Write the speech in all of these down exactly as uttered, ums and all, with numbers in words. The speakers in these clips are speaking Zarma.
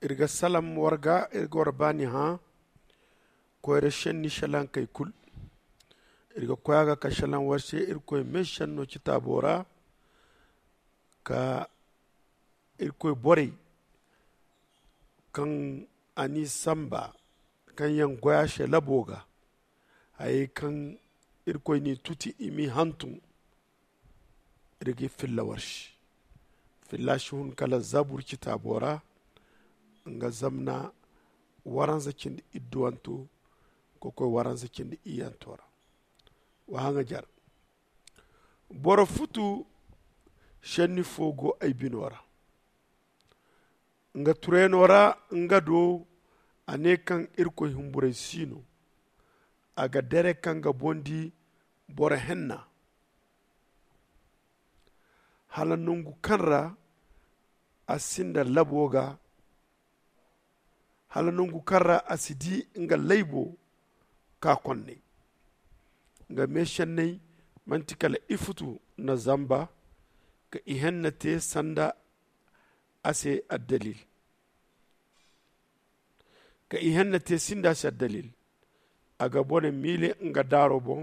Iri ga salam war ga, iri ga war baani hã koyra šenni šelankey kul. Iri ga koy a ga ka šelan war se irkoy meešenno citaabo ra, ka irkoy borey kaŋ a n'i sanba, kaŋ yaŋ goy a se labo ga, hayey kaŋ irkoy n'i tuti i m'i hantum. Iri g'i filla war se. Filla si hun kala zabur citaabo ra, nga zamna waranza cindi idduwanto ka koy waranza cindi iyyanto ra. Wa haŋajer. Boro futu šenni fo go ay bino ra. Nga turayno ra nga do, a ne kaŋ irkoy humburay si no. A ga dere kaŋ ga boŋ di boro henna, hala nangu kaŋ ra a sinda labo ga, hala nangu kaŋ ra a si di nga laybo ka konnay. Nga meešenney manti kala ifutu na zamba ka ihenna te sanda a se addalil. Ka ihenna te sinda se addalil. A ga bone miile nga daaro boŋ.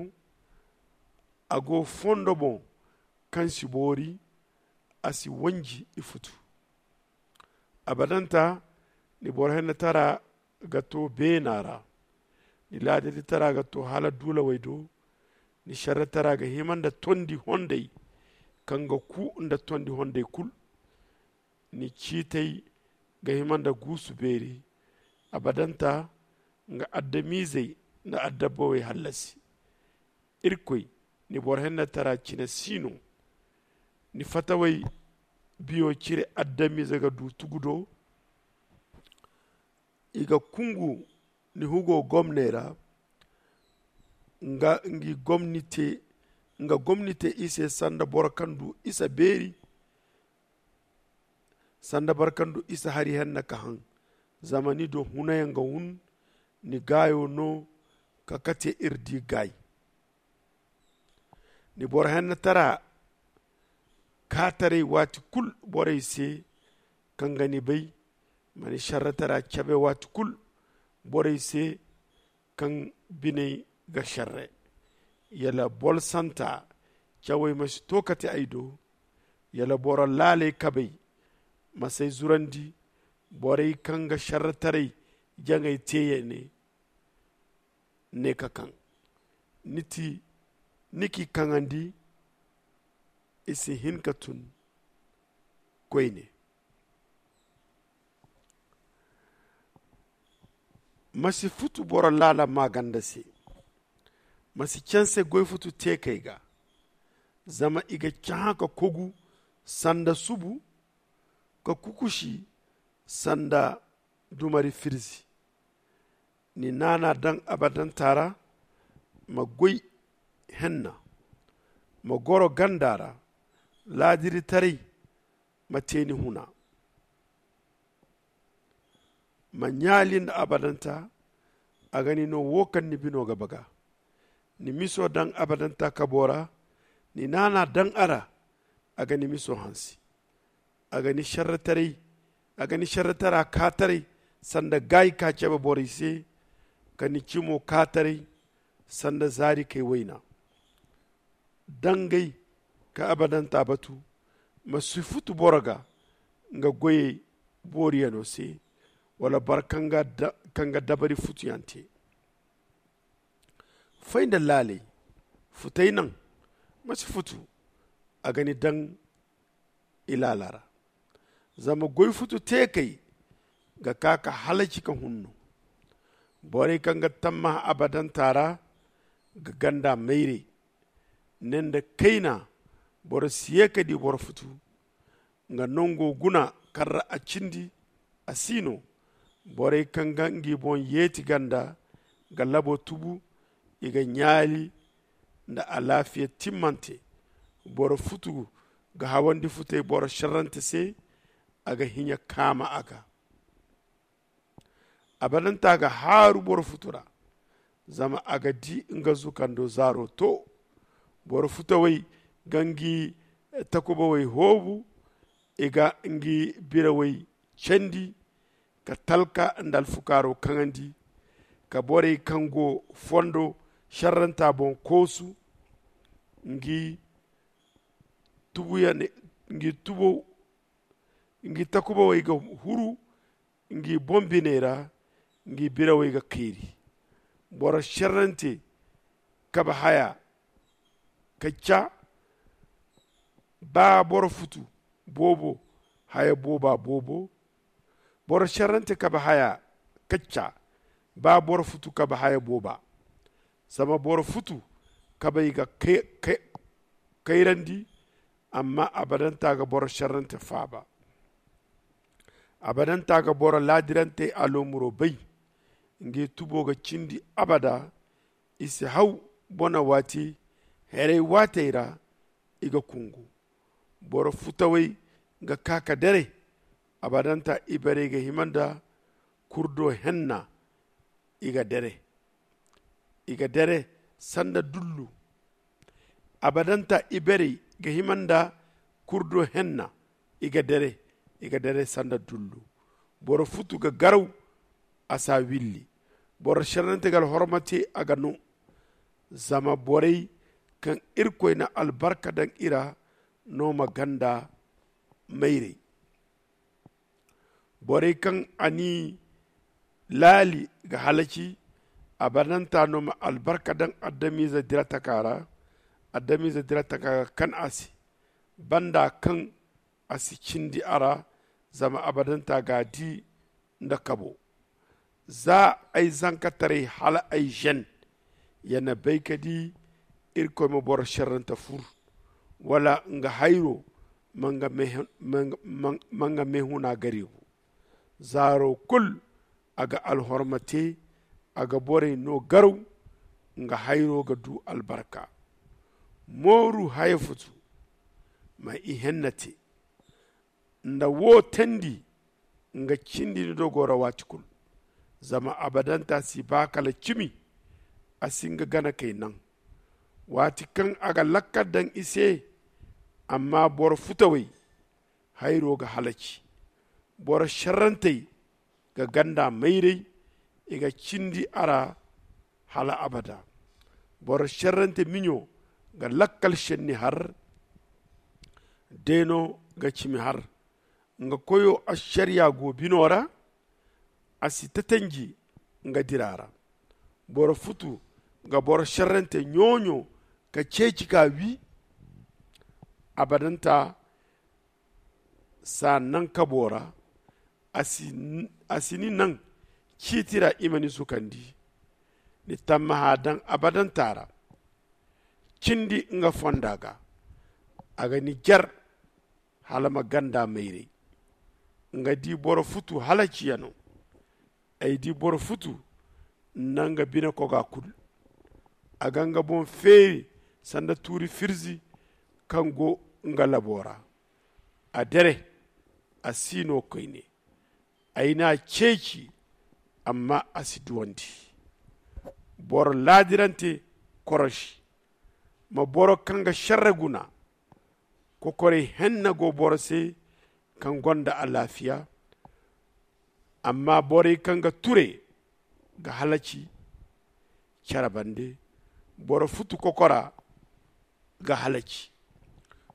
A go fondo boŋ kaŋ si boori. A si wanji ifutu. Abadanta ni boro hennatara ga to beena ra. Ni laadaditara ga to hala duulawey do. Ni šerretara ga hima nda tondi hondey kaŋ ga ku nda tondi hondey kul. Ni ciitey ga hima nda guusu beeri. Abadanta nga adamiizey nda adabawey hallasi. Irkoy, ni boro hennatara cine si no. Ni fatawey biyo cire adamiize ga du tugu do. I ga kungu ni hugo gomney ra. Nga ngi gomni te nga gomni te i se sanda boro kaŋ du isa beeri. Sanda boro kaŋ du isa hari henna ka haŋ. Zama ni do hunayaŋ ga hun. Ni gaayo no ka kate iri di gaay. Ni boro hennatara kaataray waati kul borey se kaŋ ga ni bay. Ma ni šerretara cabe waati kul borey se kaŋ biney ga šerre. Yala bolsanta cawey ma si to kate ay do. Yala boro laaley kabey ma s'ay zurandi. Borey kaŋ ga šerretaray jaŋay te ya ne. Ne ka kaŋ ni ti ni k'i kaŋandi. I si hin ka tun koyne. Ma si futu boro laala maaganda se. Ma si canse goy futu teekey ga. Zama i ga cahã ka kogu sanda subu, ka kukusi sanda dumari firzi. Ni naana daŋ abadanta ra. Ma goy henna. Ma goro ganda ra. Laadiritaray ma te ni huna. Ma ɲaali nda abadanta. A ga ni no wo kaŋ ni bino ga baga. Ni miso daŋ abadanta kabo ra. Ni naana daŋ a ra. A ga ni miso hansi. A ga ni šerretaray a ga ni šerretara kaataray sanda gaayi ka cabe borey se. Ka ni cimo kaataray sanda zaarikey wayna. Dangay ka abadanta batu. Ma si futu boro ga nga goyey booriyano se wala boro kaŋ ga dabari futuyaŋ te. Fay nda laaley futay naŋ. Ma si futu a ga ni daŋ i laala ra. Zama goy futu teekey ga ka ka halaci ka hunno. Borey kaŋ ga tammaha abadanta ra ga ganda mayray. Ne nda kayna boro si ye ka di boro futu. Nga nango guna kaŋ ra a cindi a si no. Borey kaŋ ga ngi boŋ yeeti ganda ga labo tubu. I ga ɲaali nda alaafiya timmante. Boro futu ga hawandi futey boro šerrante se. A ga hiɲa kaama a ga. Abadanta ga haaru boro futu ra. Zama a ga di nga zukando zaaro to. Boro futawey ga ngi takubawey hoobu. I ga ngi birawey candi. ka talka nda alfukaaro kaŋandi, ka borey kaŋ go fondo šerranta boŋ koosu. Ngi tubuyan ngi tubo ngi takubawey ga huru ngi boŋ biney ra. Ngi birawey ga kayri. Boro šerrante kabe haya ka ca. Ba boro futu boobo haya booba boobo. Boro šerrante kabe haya ka ca. Ba boro futu kabe haya booba. Zama boro futu kabey ga kayrandi, amma abadanta ga boro šerrante faaba. Abadanta ga boro laadirantey aloomuro bay. Ngi tubo ga cindi abada. I si haw bona waati. Heray waatey ra i ga kungu. Boro futawey ga kaa ka dere. Abadanta ibarey ga hima nda kurdo henna. I ga dere i ga dere sanda dullu. Abadanta ibarey ga hima nda kurdo henna. I ga dere i ga dere sanda dullu. Boro futu ga garaw a si a willi. Boro šerrante ga alhorma te a ga no. Zama borey kaŋ irkoy na albarka daŋ i ra no ma ganda mayray. Borey kaŋ a n'i laali ga halaci. Abadanta no ma albarka daŋ adamize dira taka ra. Adamize dira taka ga kan a se banda kaŋ a si cindi a ra. Zama abadanta ga a di nda kabo. Za ay zankataray hala ay žen ya na bay ka di. Irkoy ma boro šerrante fur wala nga hayro ma nga meehuna garibu. Zaaro kul a ga alhorma te. A ga borey no garaw nga hayro ga du albarka. Mooru haya futu ma i henna te. Nda wo teendi nga cindi ni dogo ra waati kulu. Zama abadanta si ba kala cimi. A si nga gana kay naŋ waati kaŋ a ga lakkal daŋ i se. Amma boro futawey hayro ga halaci. Boro šerrantey ga ganda mayray. I ga cindi a ra hala abada. Boro šerrante miɲo ga lakkal šenni har. Deeno ga cimi har. Nga koyo ašariya go bino ra. A si tatanji nga dira ra. Boro futu ga boro šerrante ɲooɲo ka ceeci ka wi. Abadanta s'a naŋ kabo ra. A si ni naŋ ciiti ra i ma ni sukandi. Ni tammaha daŋ abadanta ra. Cindi nga fonda ga a ga ni jar hala ma ganda mayray. Nga di boro futu halaciyano. Ay di boro futu na nga bine koga kulu. A ga nga boŋ feeri sanda tuuri firzi kaŋ go nga labo ra. A dere a si no koyne. Ay n'a ceeci amma a si duwandi. Boro laadirante korosi ma boro kaŋ ga šerre guna. Kokoray henna go boro se kaŋ gonda alaafiya. Amma borey kaŋ ga ture ga halaci. Care bande boro futu kokora ga halaci.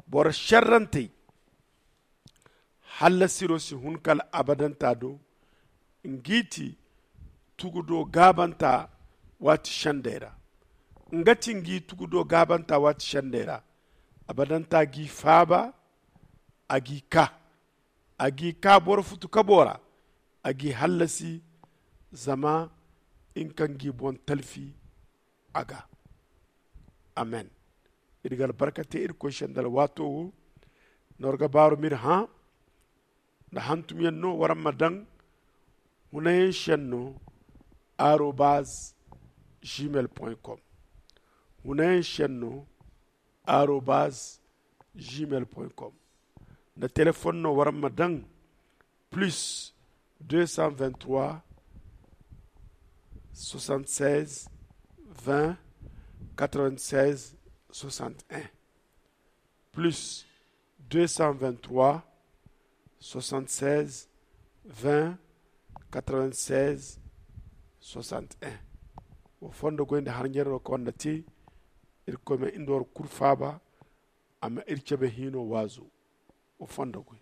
Boro šerrantey hallasiro si hun kala abadanta do. Ngi ti tugudo gaabanta waati sendey ra. Nga ti ngi tugudo gaabanta waati sendey ra. Abadanta g'i faaba. A g'i ka a g'i ka boro futu kabo ra. A g'i hallasi zama nga kaŋ g'i boŋ talfi a ga. Amen. Iri ga albarka te irkoy se nda alwaato wo. Nda war ga baaru m'iri hã nda hantumyaŋ no waraŋ ma daŋ hunayaŋ senno arobaz gmail com. Hunayaŋ senno arobaz gmail com. Nda telefon no waraŋ ma daŋ plus deux cent vingt-trois soixante-seize vingt quatre-vingt-seize soixante et un. Plus deux cent vingt-trois soixante-seize vingt quatre-vingt-seize soixante et un. Wa fondo goy nda har ɲerro ka wanda te. Irkoy ma inda war kurfaaba. A ma iri cabe hino waazo. Wa fondo goy.